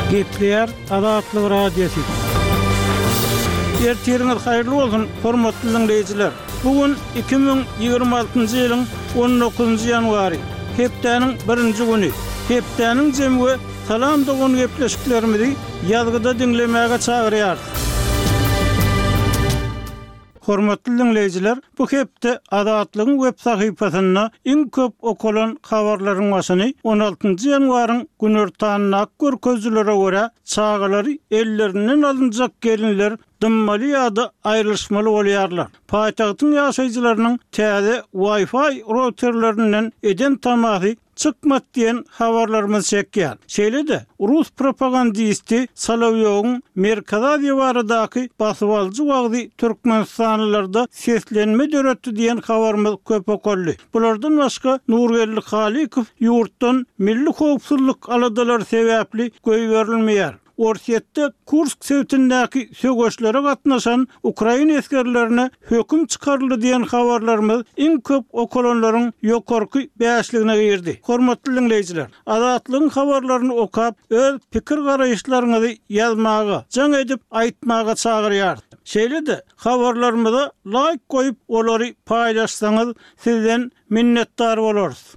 Gepleýär Azatlyk Radiosy. Ertiriňiz haýyrly bolsun, hormatly diňleýjiler! Bu gün 2026-njy ýylyň on dokuzynjy ýanwary, hepdäniň birinji güni. Hepdäniň jemi we Salam dogan gepleşiklerimizi ýazgyda diňlemäge çagyrýarys. Hormatly diňleýjiler, bu hepde Azatlygyň web sahypasynda iň köp okalan habarlaryň başyny on altynjy ýanwaryň günortanyndaky görkezijilere görä, çagalary ellerinden alynjak gelinler dymmaly ýa-da aýrylyşmaly bolýarlar. Paýtagtyň ýaşaýjylarynyň täze Wi-Fi routerlerinden eden tamasy çykmady diýen habarlarymyz çekýär. Şeýle-de, rus propagandisti Solowýowyň Merkezi Aziýa baradaky basybalyjy wagzy türkmenistanlylarda seslenme döretdi diýen habarymyz köp okaldy. Bulardan başga, Nurgeldi Halykow ýurtdan milli howpsuzlyk aladalary sebäpli goýberilmeýär. Orsýetde Kursk sebitindäki söweşlere gatnaşan ukrain esgerlerine höküm çykaryldy diýen habarlarymyz iň köp okalanlaryň ýokarky bäşligine girdi. Hormatly diňleýjiler, Azatlygyň habarlaryny okap, öz pikir-garaýyşlaryňyzy ýazmaga, jaň edip aýtmaga çagyrýarys. Şeýle-de, habarlarymyza laýk goýup, olary paýlaşsaňyz, sizden Minnetdar bolarys.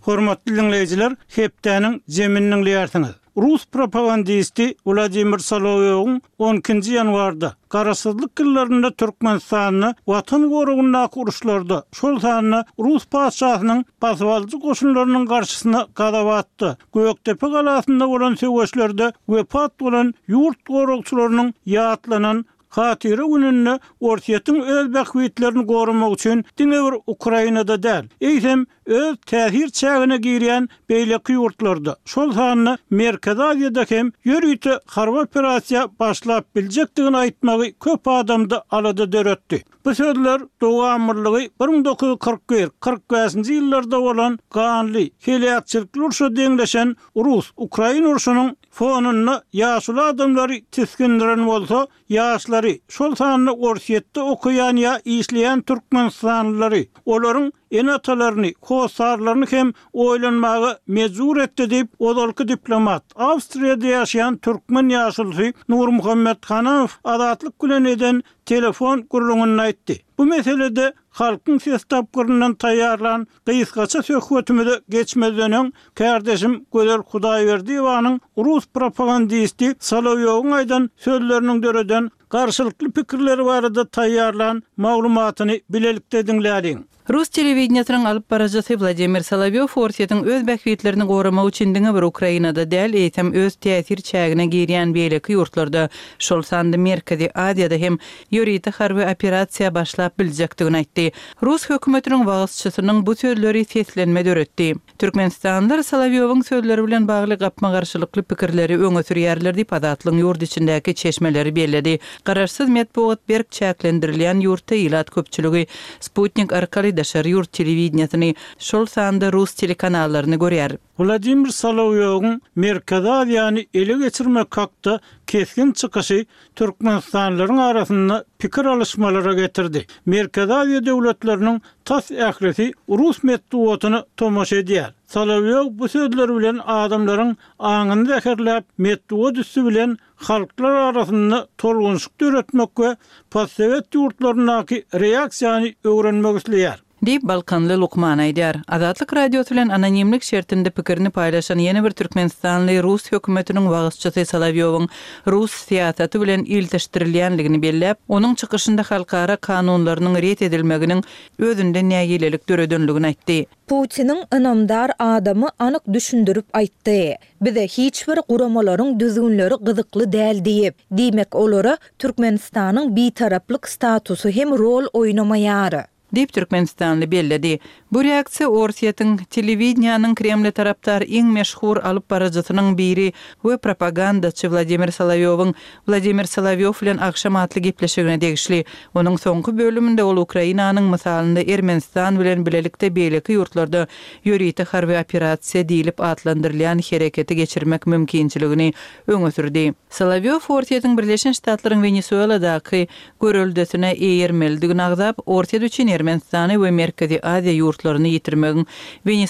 Hormatly diňleýjiler, hepdäniň jemini diňleýärsiňiz. Rus propagandisti Wladimir Solowýowyň on ikinji ýanwarda, Garaşsyzlyk ýyllarynda Türkmenistanda Watan goragyndaky uruşlarda, şol sanda rus patyşasynyň basybalyjy goşunlarynyň garşysyna Gazabatda, Gökdepe galasynda bolan söweşlerde wepat bolan ýurt goragçylarynyň ýatlanan Hatyra gününde Orsýetiň öz bähbitlerini goramak üçin diňe bir Ukrainada däl, eýsem, öz täsir çägine girýän beýleki ýurtlarda, şol sanda Merkezi Aziýada hem ýörite harby operasiýa başlap biljekdigini aýtmagy köp adamda alada döretdi. Bu sözler dowamlylygy 1941, 45-nji ýyllarda bolan ganly, heläkçilikli urşa deňleşen rus, ukrain urşunyň fonunda ýaşuly adamlary tisgindiren bolsa, ýaşlary, şol sanda Orsýetde okaýan ýa işleýän türkmenistanlylary, olaryň ene-atalaryny, hossarlaryny hem oýlanmaga mejbur etdi diýip, ozalky diplomat, Awstriýada ýaşaýan türkmen ýaşulusy Nurmuhammet Hanamow Azatlyk bilen eden telefon gürrüňinde aýtdy. Bu meselede Halkyň ses tapgyryndan taýýarlan gysgaça söhbetimize geçmezden öň, kärdeşim Gözel Hudaýberdiýewanyň rus propagandisti Solowýowyň aýdan sözleriniň döreden garşylykly pikirleri barada taýýarlan maglumatyny bilelikde diňläliň. Rus telewideniýesiniň alyp baryjysy Wladimir Solowýow Orsýetiň öz bähbitlerini goramak üçin diňe bir Ukrainada däl, eýsem öz täsir çägine girýän beýleki ýurtlarda, şol sanda Merkezi Aziýada hem ýörite harby operasiýa başlap biljekdigini aýtdy. Rus hökümetiniň wagyzçysynyň bu sözleri seslenme döretdi. Türkmenistanlylar Solowýowyň sözleri bilen bagly gapma-garşylykly pikirleri öňe sürýärler diýip, Azatlygyň ýurt içindäki çeşmeleri belledi. Garaşsyz metbugat berk çäklendirilýän ýurtda ilat köpçüligi sputnik arkaly daşary ýurt telewideniýesini, şol sanda rus telekanallaryny görýär. Wladimir Solowýowyň Merkezi Aziýany ele geçirmek hakda kesgin çykyşy türkmenistanlylaryň arasynda pikir alyşmalara getirdi. Merkezi Aziýa döwletleriniň tas ählisi rus metbugatyna tomaşa edýär. Solowýow bu sözleri bilen adamlaryň aňyny zäherläp, metbugat üsti bilen halklar arasynda tolgunyşyk döretmek we postsowet ýurtlaryndaky reaksiýany öwrenmek isleýär. Diýip, balkanly lukman aýdýar. Azatlyk Radiosy bilen anonimlik şertinde pikirini paýlaşan ýene bir türkmenistanly rus hökümetiniň wagyzçysy Solowýowyň rus syýasaty bilen ilteşdirilýänligini belläp, onuň çykyşynda halkara kanunlarynyň ret edilmeginiň özünde nägilelik döredenligini aýtdy. Putiniň ynamdar adamy anyk düşündirip aýtdy. Bize hiç bir guramalaryň düzgünleri gyzykly däl diýip. Diýmek olara Türkmenistanyň bitaraplyk statusy hem rol oýnamaýar. Diýip, türkmenistanly belledi. Bu reaksiýa Orsýetiň telewideniýäniň Kremle tarapdar iň meşhur alyp baryjysynyň biri we propagandaçy Wladimir Solowýowyň Wladimir Solowýow bilen agşam atly gepleşigine degişli. Onuň soňky bölüminde ol Ukrainanyň mysalynda Ermenistan bilen bilelikde beýleki ýurtlarda ýörite harby operasiýa diýlip atlandyrylýan hereketi geçirmek mümkinçiligini öňe sürdi. Solowýow Orsýetiň Birleşen Ştatlaryň Wenesueladaky göreldesine eýermelidigini agzap, Orsýet üçin Ermenistany we Merkezi Aziýa ýurtlaryny ýitirmegiň.